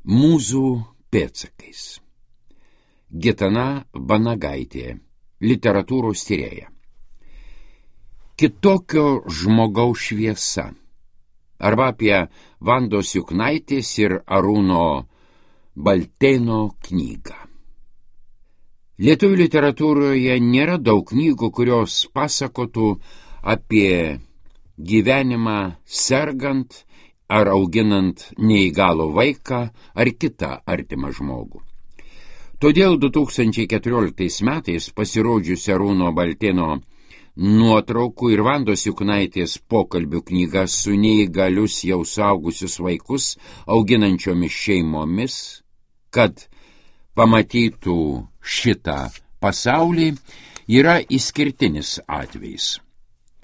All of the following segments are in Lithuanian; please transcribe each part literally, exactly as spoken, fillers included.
Mūzų pėdsakais. Gitana Vanagaitė, literatūros tyrėja. Kitokio žmogaus šviesa. Arba apie Vandos Juknaitės ir Arūno Baltėno knygą. Lietuvių literatūroje nėra daug knygų, kurios pasakotų apie gyvenimą sergant ar auginant neįgalų vaiką ar kitą artimą žmogų. Todėl du tūkstančiai keturioliktais metais pasirodžiusi Arūno Baltėno nuotraukų ir Vandos Juknaitės pokalbių knyga su neįgalius jau suaugusius vaikus auginančiomis šeimomis, kad pamatytų šitą pasaulį, yra išskirtinis atvejis.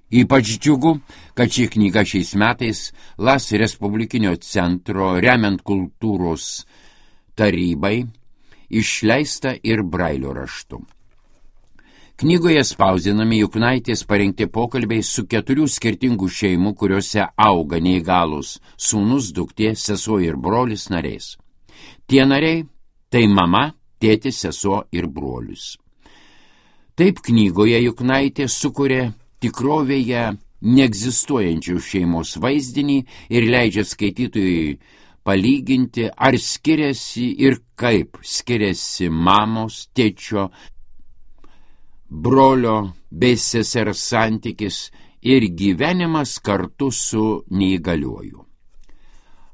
Ypač džiugu, kad ši knyga šiais metais Las Respublikinio centro remiant kultūros tarybai išleista ir brailio raštu. Knygoje spausdinami Juknaitės parengti pokalbiai su keturių skirtingų šeimų, kuriuose auga neįgalūs sūnus, duktė, sesuo ir brolis nariais. Tie nariai tai mama, tėtis, sesuo ir brolius. Taip knygoje Juknaitė sukuria tikrovėje neegzistuojančių šeimos vaizdinį ir leidžia skaitytojui palyginti, ar skiriasi ir kaip skiriasi mamos, tėčio, brolio bei sesers santykis ir gyvenimas kartu su neįgaliuoju.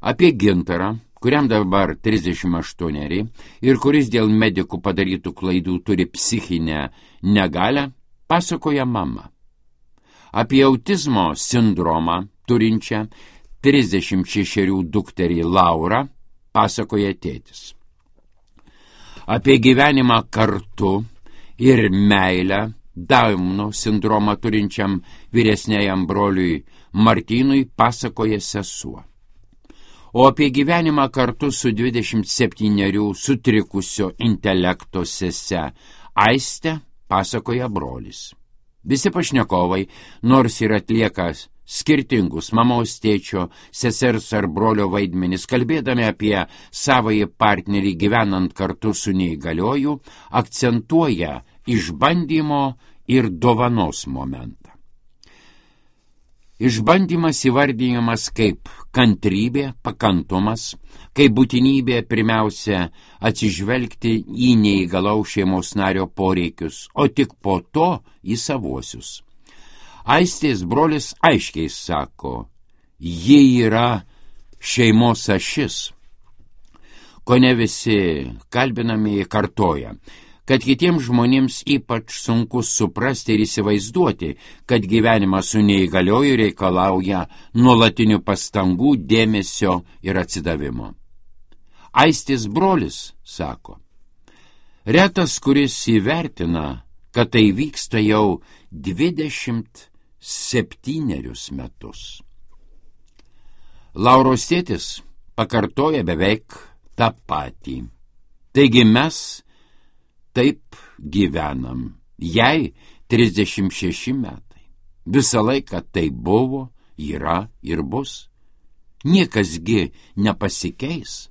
Apie Gintarą, kuriam dabar trisdešimt aštuoneri ir kuris dėl medikų padarytų klaidų turi psichinę negalią, pasakoja mama. Apie autizmo sindromą turinčią trisdešimt šešerių dukterį Laurą pasakoja tėtis. Apie gyvenimą kartu ir meilę Dauno sindromą turinčiam vyresniajam broliui Martynui pasakoja sesuo. O apie gyvenimą kartu su dvidešimt septynerių sutrikusio intelekto sese Aiste pasakoja brolis. Visi pašnekovai, nors ir atlieka skirtingus mamos, tėčio, sesers ar brolio vaidmenis, kalbėdami apie savąjį partnerį gyvenant kartu su neįgalioju, akcentuoja išbandymo ir dovanos momentą. Išbandymas įvardijamas kaip kantrybė, pakantumas, kaip būtinybė pirmiausia atsižvelgti į neįgalaus šeimos nario poreikius, o tik po to į savuosius. Aistės brolis aiškiai sako, ji yra šeimos ašis. Kone visi kalbinami kartoja, kad kitiems žmonėms ypač sunku suprasti ir įsivaizduoti, kad gyvenimas su neįgalioju reikalauja nuolatinių pastangų, dėmesio ir atsidavimo. Aistės brolis sako, retas, kuris įvertina, kad tai vyksta jau dvidešimt septynerius metus. Lauros tėtis pakartoja beveik tą patį. Taigi mes taip gyvenam. Jai trisdešimt šeši metai. Visą laiką tai buvo, yra ir bus. Niekasgi nepasikeis.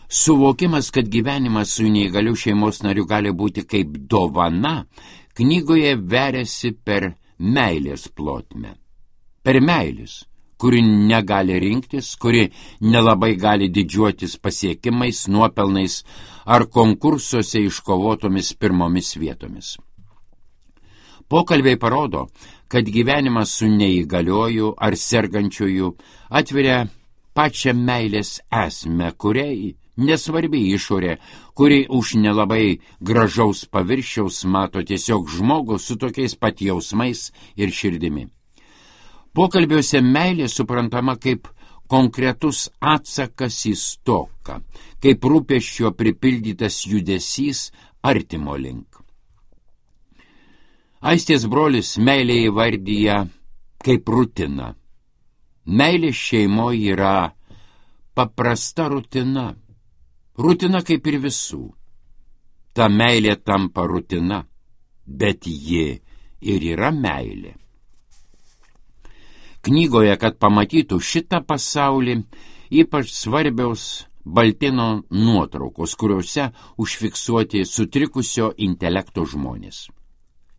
Suvokimas, kad gyvenimas su neįgaliu šeimos nariu gali būti kaip dovana, knygoje veriasi per meilės plotmę. Per meilės, kuri negali rinktis, kuri nelabai gali didžiuotis pasiekimais, nuopelnais ar konkursuose iškovotomis pirmomis vietomis. Pokalbiai parodo, kad gyvenimas su neįgalioju ar sergančiuoju atveria pačią meilės esmę, kuriai nesvarbi išorė, kuri už nelabai gražaus paviršiaus mato tiesiog žmogų su tokiais pat jausmais ir širdimi. Pokalbiuose meilė suprantama kaip konkretus atsakas į stoką, kaip rūpesčio pripildytas judesys artimo link. Aistės brolis meilė įvardyja kaip rutina. Meilė šeimoje yra paprasta rutina. Rutina kaip ir visų. Ta meilė tampa rutina, bet ji ir yra meilė. Knygoje, kad pamatytų šitą pasaulį, ypač svarbiaus Baltėno nuotraukos, kuriuose užfiksuoti sutrikusio intelekto žmonės.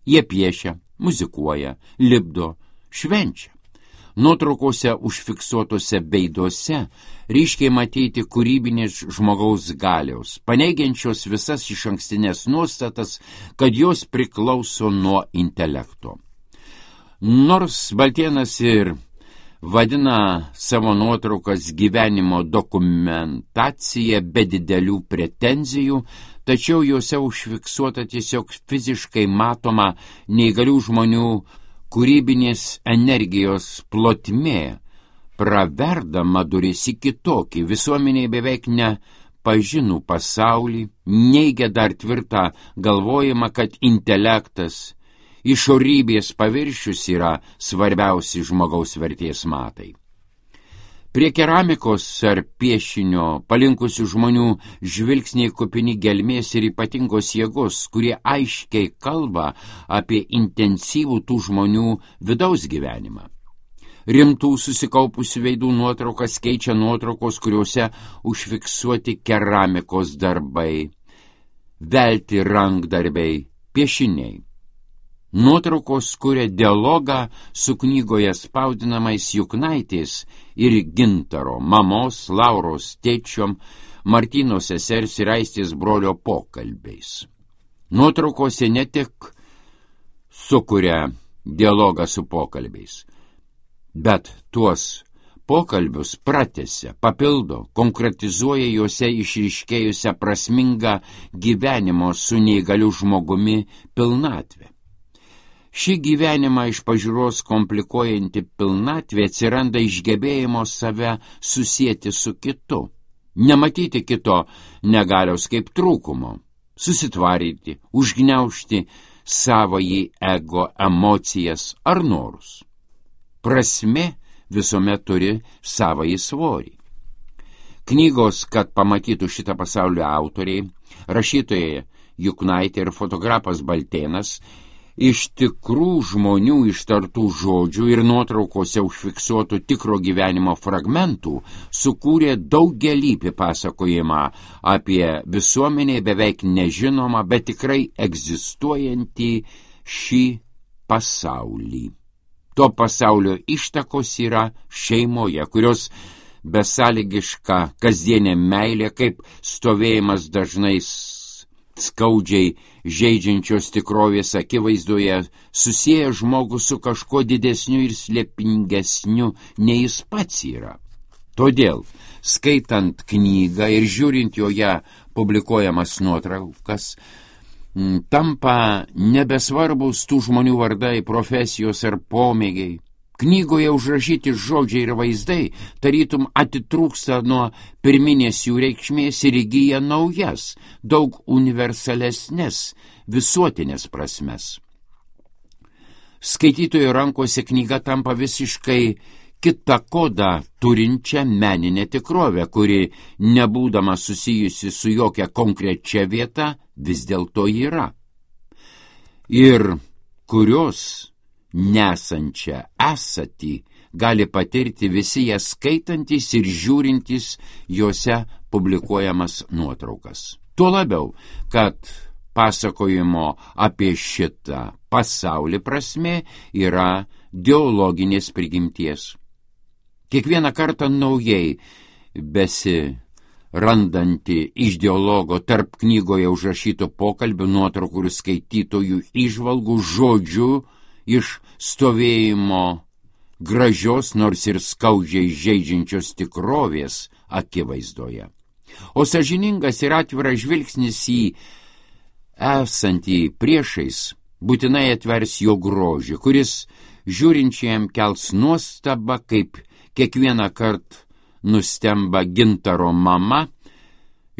Jie piešia, muzikuoja, lipdo, švenčia. Nuotraukose užfiksuotose veiduose ryškiai matyti kūrybinės žmogaus galios, paneigiančios visas išankstinės nuostatas, kad jos priklauso nuo intelekto. Nors Baltėnas ir vadina savo nuotraukas gyvenimo dokumentacija be didelių pretenzijų, tačiau juose užfiksuota tiesiog fiziškai matoma neįgalių žmonių kūrybinės energijos plotmė, praverdama duris į kitokį, visuomeniai beveik nepažinų pasaulį, neigia dar tvirtą galvojimą, kad intelektas, išorybės paviršius yra svarbiausi žmogaus vertės matai. Prie keramikos ar piešinio palinkusių žmonių žvilgsniai kupini gelmės ir ypatingos jėgos, kurie aiškiai kalba apie intensyvų tų žmonių vidaus gyvenimą. Rimtų susikaupusių veidų nuotraukas keičia nuotraukos, kuriuose užfiksuoti keramikos darbai, velti rankdarbiai, piešiniai. Nuotraukos kuria dialogą su knygoje spausdinamais Juknaitės ir Gintaro, mamos, Lauros tėčiom, Martyno sesers ir Aistės brolio pokalbiais. Nuotraukose ne tik sukuria dialogą su pokalbiais, bet tuos pokalbius pratęsia, papildo, konkretizuoja juose išryškėjusią prasmingą gyvenimo su neįgaliu žmogumi pilnatvę. Ši gyvenimą iš pažiūros komplikuojanti pilnatvė atsiranda iš gebėjimo save susieti su kitu, nematyti kito negalios kaip trūkumo, susitvaryti, užgniaužti savąjį ego emocijas ar norus. Prasmė visuomet turi savąjį svorį. Knygos, kad pamatytų šitą pasaulio autoriai, rašytojai Juknaitė ir fotografas Baltėnas, iš tikrų žmonių ištartų žodžių ir nuotraukose užfiksuotų tikro gyvenimo fragmentų sukūrė daugelįpį pasakojimą apie visuomenėje beveik nežinomą, bet tikrai egzistuojantį šį pasaulį. To pasaulio ištakos yra šeimoje, kurios besąlygiška kasdienė meilė, kaip stovėjimas dažnai skaudžiai žeidžiančios tikrovės akivaizdoje, susieja žmogų su kažkuo didesniu ir slėpingesniu, nei jis pats yra. Todėl, skaitant knygą ir žiūrint joje publikuojamas nuotraukas, tampa nebesvarbus tų žmonių vardai, profesijos ar pomėgiai. Knygoje užrašyti žodžiai ir vaizdai tarytum atitrūksta nuo pirminės jų reikšmės ir įgyja naujas, daug universalesnės, visuotinės prasmes. Skaitytojo rankose knyga tampa visiškai kitą kodą turinčią meninę tikrovę, kuri, nebūdama susijusi su jokia konkrečia vieta, vis dėlto yra. Ir kurios nesančią esatį gali patirti visi ją skaitantis ir žiūrintis juose publikuojamas nuotraukas. Tuo labiau, kad pasakojimo apie šitą pasaulį prasmė yra dialoginės prigimties. Kiekvieną kartą naujai besirandanti iš dialogo tarp knygoje užrašyto pokalbių, nuotraukų ir skaitytojų įžvalgų žodžių iš stovėjimo gražios, nors ir skaudžiai žeidžiančios tikrovės akivaizdoje. O sąžiningas ir atviras žvilgsnis į esantį priešais būtinai atvers jo grožį, kuris žiūrinčiam kels nuostabą, kaip kiekvieną kartą nustemba Gintaro mama,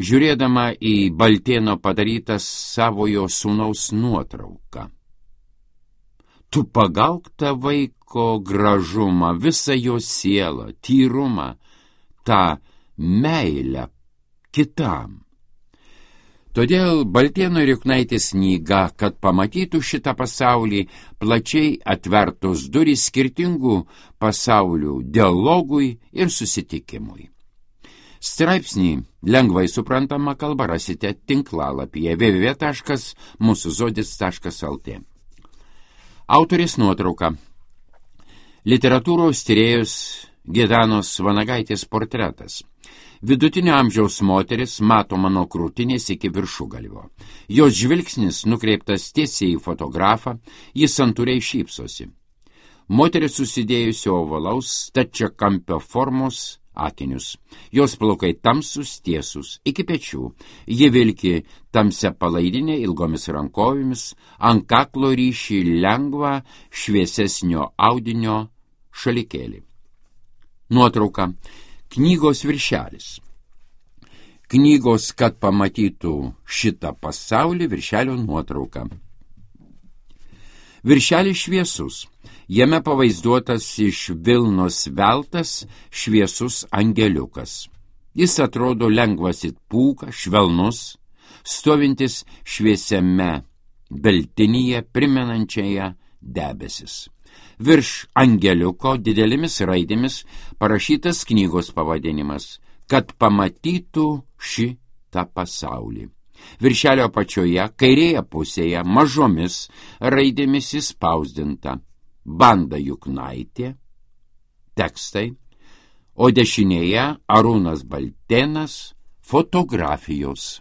žiūrėdama į Baltėno padarytą savojo sūnaus nuotrauką. Tu pagauk tą vaiko gražumą, visą jo sielą, tyrumą, tą meilę kitam. Todėl Baltėno ir Juknaitės knyga, kad pamatytų šitą pasaulį, plačiai atvertos durys skirtingų pasaulių dialogui ir susitikimui. Straipsnį lengvai suprantama kalba rasite tinklalapyje w w w taškas mūsų žodis taškas l t. Autorės nuotrauka. Literatūros tyrėjos Gedanos Vanagaitės portretas. Vidutinio amžiaus moteris matoma nuo krūtinės iki viršugalvio. Jos žvilgsnis nukreiptas tiesiai į fotografą, jis santūriai šypsosi. Moteris susidėjusi ovalaus stačiakampio formos akinius. Jos plaukai tamsus, tiesus, iki pečių. Ji vilki tamsia palaidinė ilgomis rankovėmis, ant kaklo ryšį lengvą šviesesnio audinio šalikėlį. Nuotrauka. Knygos viršelis. Knygos, kad pamatytų šitą pasaulį, viršelio nuotrauka. Viršelis šviesus. Jame pavaizduotas iš vilnos veltas šviesus angeliukas. Jis atrodo lengvas it pūka, švelnus, stovintis šviesiame beltinyje primenančiaje debesis. Virš angeliuko didelėmis raidėmis parašytas knygos pavadinimas, kad pamatytų šitą pasaulį. Viršelio apačioje, kairėje pusėje, mažomis raidėmis įspausdinta Banda Juknaitė, tekstai, o dešinėje Arūnas Baltėnas, fotografijos.